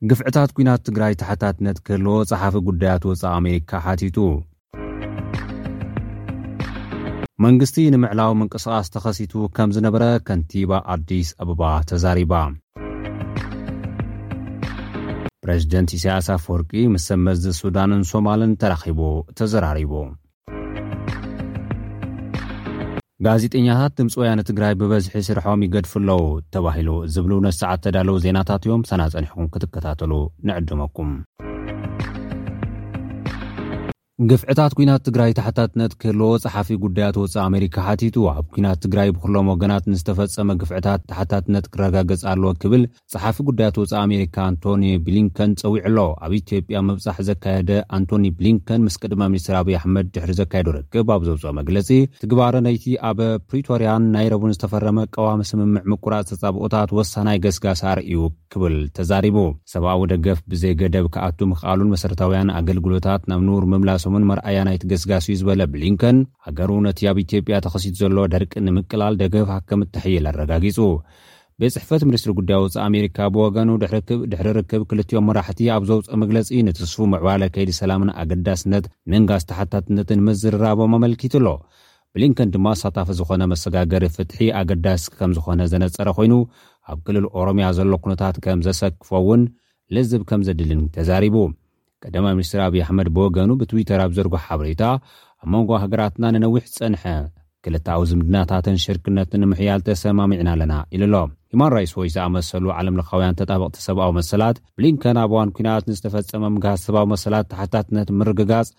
ግፍዕታት ኲናት ትግራይ ተሓታትነት ክህልዎ ጸሓፊ ጉዳያት ወጻኢ ኣሜሪካ ሓቲቱ። መንግስቲ ንምዕላዊ ምንቅስቓስ ተኸሲቱ ከም ዝነበረ ከንቲባ ኣዲስ ኣበባ ተዛሪባ። ፕሬዚደንት ኢሳያስ ኣፈወርቂ ምስ ሰብ መዚ ሱዳንን ሶማልን ተራኺቡ ተዘራሪቡ። ጋዜጠኛታት ድምፂ ወያነ ትግራይ ብበዝሒ ስርሖም ይገድፉ ኣለዉ ተባሂሉ ዝብሉ ነቲ ሰዓት ተዳለዉ ዜናታት እዮም። ሳና ጸኒሕኩም ክትከታተሉ ንዕድመኩም። ግፍዕታት ኲናት ትግራይ ተሓታትነት ክህልዎ ጸሓፊ ጉዳያት ወጻኢ ኣሜሪካ ሓቲቱ። ኣብ ኲናት ትግራይ ብኩሎም ወገናት ንዝተፈጸመ ግፍዕታት ተሓታትነት ክረጋገጽ ኣለዎ ክብል ጸሓፊ ጉዳያት ወጻኢ ኣሜሪካ ኣንቶኒ ብሊንከን ጸዊዑ ኣሎ። ኣብ ኢትዮጵያ ምብጻሕ ዘካየደ ኣንቶኒ ብሊንከን ምስ ቀዳማይ ሚኒስትር ኣብይ ኣሕመድ ድሕሪ ዘካየዶ ርክብ ኣብ ዘውፅኦ መግለጺ፣ ትግባረ ነይቲ ኣብ ፕሪቶርያን ናይሮብን ዝተፈረመ ቀዋሚ ስምምዕ ምቁራጽ ተጻብኦታት ወሳናይ ገስጋስ ኣርእዩ ክብል ተዛሪቡ። ሰብኣዊ ደገፍ ብዘይ ገደብ ክኣቱ ምኽኣሉን መሰረታውያን ኣገልግሎታት ናብ ንቡር ምምላሶምን መርኣያ ናይቲ ገስጋስ እዩ ዝበለ ብሊንከን፣ ሃገሩ ነቲ ኣብ ኢትዮጵያ ተኸሲቱ ዘሎ ደርቂ ንምቅላል ደገፋ ከም እተሕይል ኣረጋጊጹ። ቤት ጽሕፈት ሚኒስትሪ ጉዳይ ወጻኢ ኣሜሪካ ብወገኑ ድሕሪ ክብ-፣ ድሕሪ ርክብ ክልቲኦም መራሕቲ ኣብ ዘውጽኦ መግለጺ፣ ንትስፉ ምዕባለ ከይዲ ሰላምን ኣገዳስነት ምንጋስ ተሓታትነትን ምዝርራቦም ኣመልኪቱ ኣሎ። ብሊንከን ድማ ኣሳታፊ ዝኾነ መሰጋገሪ ፍትሒ ኣገዳሲ ከም ዝኾነ ዘነጸረ ኮይኑ፣ ኣብ ክልል ኦሮሚያ ዘሎ ኩነታት ከም ዘሰክፎ እውን ልዝብ ከም ዘድልን ተዛሪቡ። ቀዳማይ ሚኒስትር ኣብይ ኣሕመድ ብወገኑ ብትዊተር ኣብ ዘርጎ ሓበሬታ፣ ኣብ መንጎ ሃገራትና ንነዊሕ ዝጸንሐ ክልተኣዊ ዝምድናታትን ሽርክነትን ንምሕያል ተሰማሚዕና ኣለና ኢሉ ኣሎ። ሂማን ራይትስ ዎች ዝኣመሰሉ ዓለም ለኻውያን ተጣበቕቲ ሰብኣዊ መሰላት፣ ብሊንከን ኣብ እዋን ኲናት ንዝተፈጸመ ምግሃስ ሰብኣዊ መሰላት ተሓታትነት ምርግጋጽ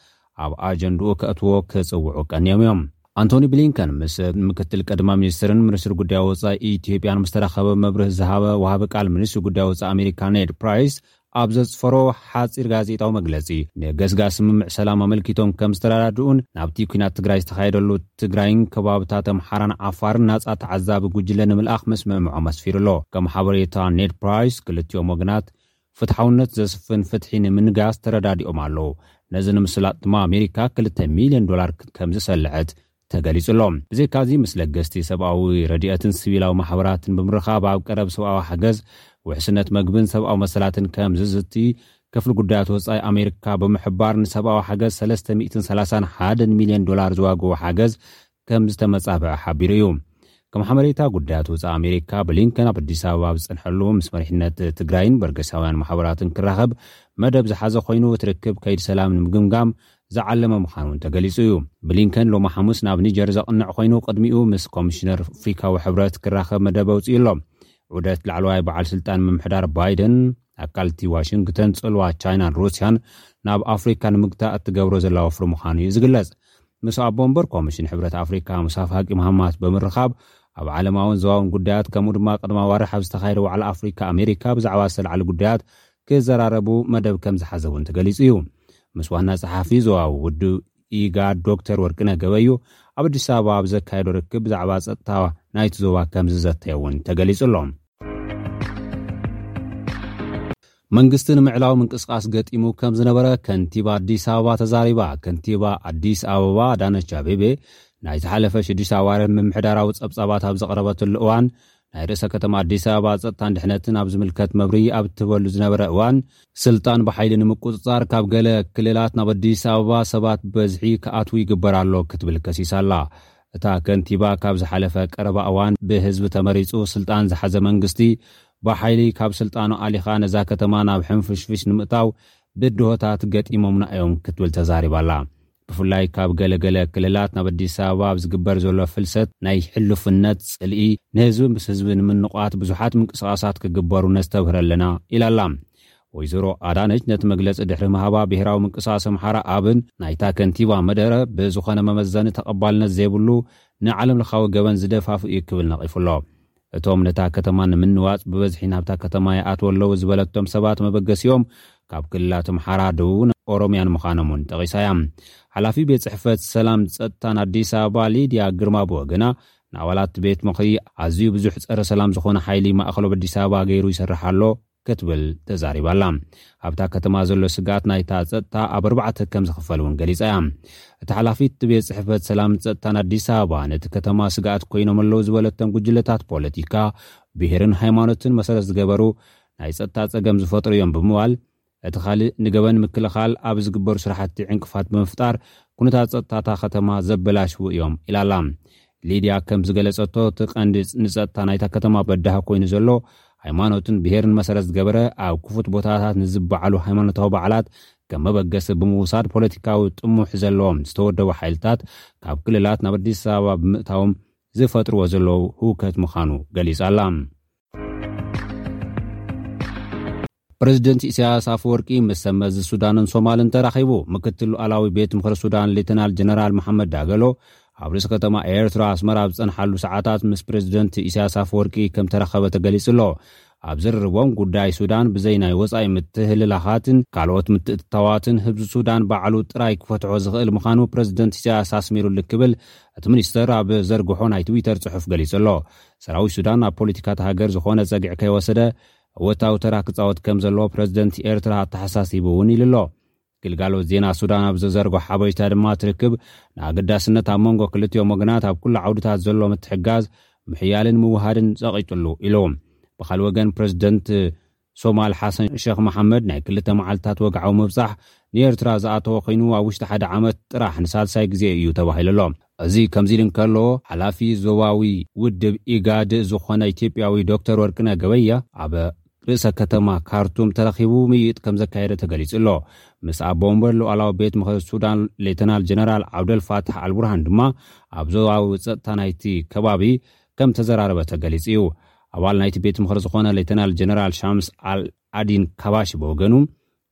ኣብ ኣጀንድኡ ከእትዎ ክጽውዑ ቀንዮም እዮም። ኣንቶኒ ብሊንከን ምስ ምክትል ቀዳማይ ሚኒስትርን ሚኒስትር ጉዳይ ወጻኢ ኢትዮጵያን ምስ ተራኸበ መብርህ ዝሃበ ወሃቢ ቃል ሚኒስትር ጉዳይ ወጻኢ ኣሜሪካ ኔድ ፕራይስ ኣብ ዘጽፈሮ ሓጺር ጋዜጣዊ መግለጺ፣ ንገስጋስ ስምምዕ ሰላም ኣመልኪቶም ከም ዝተረዳድኡን ናብቲ ኲናት ትግራይ ዝተኻየደሉ ትግራይን ከባብታት ኣምሓራን ዓፋርን ናጻ ተዓዛቢ ጉጅለ ንምልኣኽ ምስምዕምዖም ኣስፊሩ ኣሎ። ከም ሓበሬታ ኔድ ፕራይስ፣ ክልቲኦም ወገናት ፍትሓውነት ዘስፍን ፍትሒ ንምንጋስ ተረዳዲኦም ኣለዉ። ነዚ ንምስላጥ ድማ ኣሜሪካ ክልተ ሚልዮን ዶላር ከም ዝሰልዐት ተገሊጹ ኣሎ። ብዘይካዚ፣ ምስ ለገስቲ ሰብኣዊ ረድኤትን ሲቪላዊ ማሕበራትን ብምርኻብ ኣብ ቀረብ ሰብኣዊ ሓገዝ፣ ውሕስነት መግብን ሰብኣዊ መሰላትን ከም ዝዝቲ ክፍሊ ጉዳያት ወጻኢ ኣሜሪካ ብምሕባር፣ ንሰብኣዊ ሓገዝ ሰለስተ ሚእትን ሰላሳን ሓደን ሚልዮን ዶላር ዝዋግኡ ሓገዝ ከም ዝተመጻብዐ ሓቢሩ እዩ። ከም ሓበሬታ ጉዳያት ወጻኢ ኣሜሪካ፣ ብሊንከን ኣብ ኣዲስ ኣበባ ኣብ ዝጸንሐሉ፣ ምስ መሪሕነት ትግራይን በርገሳውያን ማሕበራትን ክራኸብ መደብ ዝሓዘ ኮይኑ፣ እቲ ርክብ ከይዲ ሰላም ንምግምጋም ዝዓለመ ምዃኑ እውን ተገሊጹ እዩ። ብሊንከን ሎሚ ሓሙስ ናብ ኒጀር ዘቕንዕ ኮይኑ፣ ቅድሚኡ ምስ ኮሚሽነር ኣፍሪካዊ ሕብረት ክራኸብ መደብ ኣውጺኡ ኣሎ። ዑደት ላዕለዋይ በዓል ስልጣን ምምሕዳር ባይደን፣ ኣካልቲ ዋሽንግተን ጽልዋ ቻይናን ሩስያን ናብ ኣፍሪካ ንምግታእ እትገብሮ ዘላ ወፍሪ ምዃኑ እዩ ዝግለጽ። ምስ ኣቦ ወንበር ኮሚሽን ሕብረት ኣፍሪካ ሙሳ ፋቂ መሃማት ብምርኻብ፣ ኣብ ዓለማውን ዞባውን ጉዳያት፣ ከምኡ ድማ ቅድሚ ኣዋርሕ ኣብ ዝተኻየደ ዋዕላ ኣፍሪካ ኣሜሪካ ብዛዕባ ዝተላዕለ ጉዳያት ክዘራረቡ መደብ ከም ዝሓዘ እውን ተገሊጹ እዩ። ምስ ዋና ጸሓፊ ዞባዊ ውድብ ኢጋድ ዶክተር ወርቅነህ ገበዩ ኣብ ኣዲስ ኣበባ ኣብ ዘካየዶ ርክብ ብዛዕባ ጸጥታ ናይቲ ዞባ ከም ዝዘተየ እውን ተገሊጹ ኣሎ። መንግስቲ ንምዕላዊ ምንቅስቓስ ገጢሙ ከም ዝነበረ ከንቲባ ኣዲስ ኣበባ ተዛሪባ። ከንቲባ ኣዲስ ኣበባ ኣዳነች ኣቤቤ ናይ ዝሓለፈ ሽዱሽተ ኣዋርሕ ምምሕዳራዊ ጸብጻባት ኣብ ዘቕረበትሉ እዋን፣ ናይ ርእሰ ከተማ ኣዲስ ኣበባ ጸጥታን ድሕነትን ኣብ ዝምልከት መብርሂ ኣብ እትህበሉ ዝነበረ እዋን፣ ስልጣን ብሓይሊ ንምቁጽጻር ካብ ገለ ክልላት ናብ ኣዲስ ኣበባ ሰባት ብበዝሒ ክኣትዉ ይግበር ኣሎ ክትብል ከሲሳ ኣላ። እታ ከንቲባ፣ ካብ ዝሓለፈ ቀረባ እዋን ብህዝቢ ተመሪጹ ስልጣን ዝሓዘ መንግስቲ ብሓይሊ ካብ ስልጣኑ ኣሊኻ ነዛ ከተማ ናብ ሕንፍሽፍሽ ንምእታው ብድሆታት ገጢሞምና እዮም ክትብል ተዛሪባ ኣላ። ብፍላይ ካብ ገለ ገለ ክልላት ናብ ኣዲስ ኣበባ ኣብ ዝግበር ዘሎ ፍልሰት ናይ ሕሉፍነት ጽልኢ፣ ንህዝቢ ምስ ህዝቢ ንምንቋት ብዙሓት ምንቅስቓሳት ክግበሩ ነስተብህር ኣለና ኢላ ኣላ። ወይዘሮ ኣዳነች ነቲ መግለጺ ድሕሪ ምሃባ፣ ብሄራዊ ምንቅስቓስ ኣምሓራ ኣብን ናይታ ከንቲባ መደረ ብዝኾነ መመዘኒ ተቐባልነት ዘይብሉ፣ ንዓለም ለኻዊ ገበን ዝደፋፍእ እዩ ክብል ነቒፉ ኣሎ። እቶም ነታ ከተማ ንምንዋጽ ብበዝሒ ናብታ ከተማ ይኣትዉ ኣለዉ ዝበለቶም ሰባት መበገሲኦም ካብ ክልላት ኣምሓራ፣ ደቡብን ኦሮምያን ምዃኖም እውን ጠቒሳ እያ። ሓላፊ ቤት ጽሕፈት ሰላም ጸጥታን ኣዲስ ኣበባ ሊድያ ግርማ ብወገና፣ ንኣባላት ቤት ምኽሪ ኣዝዩ ብዙሕ ጸረ ሰላም ዝኾነ ሓይሊ ማእኸል ኣብ ኣዲስ ኣበባ ገይሩ ይሰርሕ ኣሎ ክትብል ተዛሪባ ኣላ። ኣብታ ከተማ ዘሎ ስግኣት ናይታ ጸጥታ ኣብ ኣርባዕተ ከም ዝኽፈል እውን ገሊጻ እያ። እቲ ሓላፊ እቲ ቤት ጽሕፈት ሰላም ጸጥታን ኣዲስ ኣበባ፣ ነቲ ከተማ ስግኣት ኮይኖም ኣለዉ ዝበለቶም ጉጅለታት ፖለቲካ፣ ብሄርን ሃይማኖትን መሰረት ዝገበሩ ናይ ጸጥታ ጸገም ዝፈጥሩ እዮም ብምባል፣ እቲ ካልእ ንገበን ምክልኻል ኣብ ዝግበሩ ስራሕቲ ዕንቅፋት ብምፍጣር ኩነታት ጸጥታ እታ ከተማ ዘበላሽዉ እዮም ኢላላ። ሊድያ ከም ዝገለጸቶ፣ እቲ ቀንዲ ንጸጥታ ናይታ ከተማ በዳሂ ኮይኑ ዘሎ፣ ሃይማኖትን ብሄርን መሰረት ዝገበረ ኣብ ክፉት ቦታታት ንዝበዓሉ ሃይማኖታዊ በዓላት ከም መበገሲ ብምውሳድ፣ ፖለቲካዊ ጥሙሕ ዘለዎም ዝተወደቡ ሓይልታት ካብ ክልላት ናብ ኣዲስ ኣበባ ብምእታዎም ዝፈጥርዎ ዘለዉ ህውከት ምዃኑ ገሊጻ ኣላ። ፕረዚደንት ኢሳያስ ኣፈወርቂ ምስ ሰብ መዚ ሱዳንን ሶማልን ተራኺቡ። ምክትል ሉዓላዊ ቤት ምኽሪ ሱዳን ሌተናል ጀነራል መሓመድ ዳገሎ ኣብ ርእሲ ከተማ ኤርትራ ኣስመራ ኣብ ዝጸንሓሉ ሰዓታት ምስ ፕረዚደንት ኢሳያስ ኣፈወርቂ ከም ተራኸበ ተገሊጹ ኣሎ። ኣብ ዝርርቦም፣ ጉዳይ ሱዳን ብዘይ ናይ ወጻኢ ምትህልላኻትን ካልኦት ምትእትታዋትን ህዝቢ ሱዳን ባዕሉ ጥራይ ክፈትሖ ዝኽእል ምዃኑ ፕረዚደንት ኢሳያስ ኣስሚሩሉ ክብል እቲ ሚኒስተር ኣብ ዘርግሖ ናይ ትዊተር ጽሑፍ ገሊጹ ኣሎ። ሰራዊት ሱዳን ኣብ ፖለቲካ እታ ሃገር ዝኾነ ጸግዒ ከይወሰደ እወታዊ ተራ ክጻወት ከም ዘለዎ ፕረዚደንት ኤርትራ ኣተሓሳሲቡ እውን ኢሉ ኣሎ። ግልጋሎት ዜና ሱዳን ኣብ ዘዘርጎ ሓበሬታ ድማ፣ እቲ ርክብ ንኣገዳስነት ኣብ መንጎ ክልቲኦም ወገናት ኣብ ኩሉ ዓውድታት ዘሎ ምትሕጋዝ ምሕያልን ምውሃድን ጸቒጡሉ ኢሉ። ብኻልእ ወገን፣ ፕረዚደንት ሶማል ሓሰን ሸኽ መሓመድ ናይ ክልተ መዓልታት ወግዓዊ ምብጻሕ ንኤርትራ ዝኣተወ ኮይኑ፣ ኣብ ውሽጢ ሓደ ዓመት ጥራሕ ንሳልሳይ ግዜ እዩ ተባሂሉ ኣሎ። እዚ ከምዚ ኢሉ እንከሎ፣ ሓላፊ ዞባዊ ውድብ ኢጋድ ዝኾነ ኢትዮጵያዊ ዶክተር ወርቅነህ ገበየ ኣብ ርእሰ ከተማ ካርቱም ተረኺቡ ምይይጥ ከም ዘካየደ ተገሊጹ ኣሎ። ምስ ኣቦ ወንበር ሉዓላዊ ቤት ምኽሪ ሱዳን ሌተናል ጀነራል ዓብደል ፋታሕ ኣልቡርሃን ድማ ኣብ ዞባዊ ጸጥታ ናይቲ ከባቢ ከም ተዘራረበ ተገሊጹ እዩ። ኣባል ናይቲ ቤት ምኽሪ ዝኾነ ሌተናል ጀነራል ሻምስ ኣል ኣዲን ካባሽ ብወገኑ፣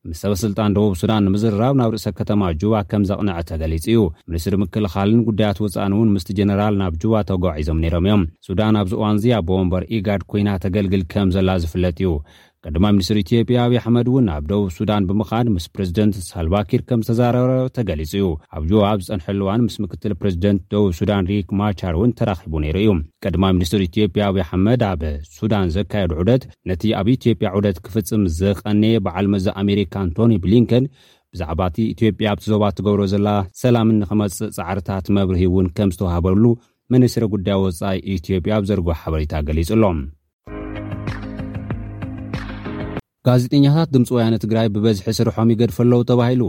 ምስ ሰበ ስልጣን ደቡብ ሱዳን ንምዝርራብ ናብ ርእሰ ከተማ ጁባ ከም ዘቕንዐ ተገሊጹ እዩ። ሚኒስትሪ ምክልኻልን ጉዳያት ወጻእን እውን ምስቲ ጀነራል ናብ ጁባ ተጓዒዞም ነይሮም እዮም። ሱዳን ኣብዚ እዋንዚ ኣቦ ወንበር ኢጋድ ኮይና ተገልግል ከም ዘላ ዝፍለጥ እዩ። ቀዳማይ ሚኒስትር ኢትዮጵያ ኣብይ ኣሕመድ እውን ናብ ደቡብ ሱዳን ብምኻድ ምስ ፕሬዚደንት ሳልቫኪር ከም ዝተዛረበ ተገሊጹ እዩ። ኣብ ጁባ ኣብ ዝጸንሐሉ እዋን ምስ ምክትል ፕሬዚደንት ደቡብ ሱዳን ሪክ ማቻር እውን ተራኺቡ ነይሩ እዩ። ቀዳማይ ሚኒስትር ኢትዮጵያ ኣብይ ኣሕመድ ኣብ ሱዳን ዘካየዱ ዑደት፣ ነቲ ኣብ ኢትዮጵያ ዑደት ክፍጽም ዝቐነየ በዓል መዚ ኣሜሪካ ኣንቶኒ ብሊንከን ብዛዕባ እቲ ኢትዮጵያ ኣብቲ ዞባ ትገብሮ ዘላ ሰላምን ንኽመጽእ ጻዕርታት መብርሂ እውን ከም ዝተዋህበሉ ሚኒስትሪ ጉዳይ ወጻኢ ኢትዮጵያ ኣብ ዘርግሖ ሓበሬታ ገሊጹ ኣሎ። ጋዜጠኛታት ድምፂ ወያነ ትግራይ ብበዝሒ ስርሖም ይገድፉ ኣለዉ ተባሂሉ።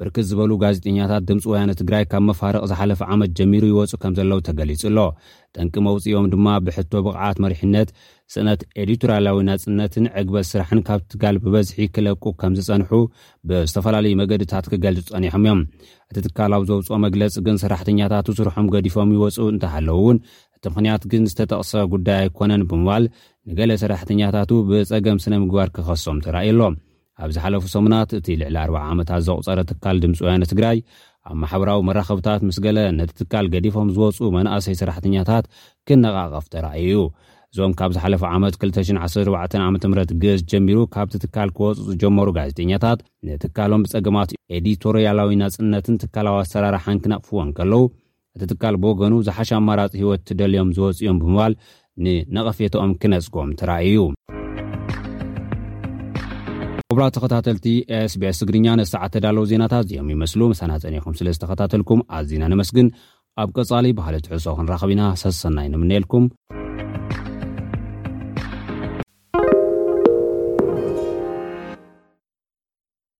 ብርክት ዝበሉ ጋዜጠኛታት ድምፂ ወያነ ትግራይ ካብ መፋርቕ ዝሓለፈ ዓመት ጀሚሩ ይወፁ ከም ዘለዉ ተገሊጹ ኣሎ። ጠንቂ መውፅኦም ድማ ብሕቶ ብቕዓት መሪሕነት፣ ስእነት ኤዲቶርያላዊ ናፅነትን ዕግበት ስራሕን ካብ ትጋል ብበዝሒ ክለቁ ከም ዝጸንሑ ብዝተፈላለዩ መገድታት ክገልጹ ጸኒሖም እዮም። እቲ ትካል ኣብ ዘውፅኦ መግለፂ ግን፣ ሰራሕተኛታቱ ስርሖም ገዲፎም ይወፁ እንተሃለዉ እውን፣ እቲ ምኽንያት ግን ዝተጠቕሰ ጉዳይ ኣይኮነን ብምባል፣ ንገለ ሰራሕተኛታቱ ብጸገም ስነ ምግባር ክኸሶም ተራእዩ ኣሎ። ኣብ ዝሓለፉ ሰሙናት፣ እቲ ልዕሊ ኣርብዓ ዓመታት ዘቑጸረ ትካል ድምፂ ወያነ ትግራይ ኣብ ማሕበራዊ መራኸብታት ምስ ገለ ነቲ ትካል ገዲፎም ዝወፁ መናእሰይ ሰራሕተኛታት ክነቓቐፍ ተራእዩ እዩ። እዞም ካብ ዝሓለፈ ዓመት ክልተ ሽሕን ዓሰርተ ኣርባዕተን ዓመተ ምህረት ግእዝ ጀሚሩ ካብቲ ትካል ክወፁ ዝጀመሩ ጋዜጠኛታት፣ ንትካሎም ብጸገማት ኤዲቶርያላዊ ናጽነትን ትካላዊ ኣሰራርሓን ክነቕፍዎ እንከለዉ፣ እቲ ትካል ብወገኑ ዝሓሸ ኣማራጺ ህይወት ትደልዮም ዝወፁ እዮም ብምባል ንነቐፌታኦም ክነጽጎም ተራእዩ እዩ። ክቡራት ተኸታተልቲ ኤስቢኤስ ትግርኛ፣ ንሰዓት ተዳለዉ ዜናታት እዚኦም ይመስሉ። ምሳና ጸኒኹም ስለ ዝተኸታተልኩም ኣዚና ነመስግን። ኣብ ቀጻሊ ባህሊ ትሕዝቶ ክንራኸብ ኢና። ሰሰናይ ንምነየልኩም።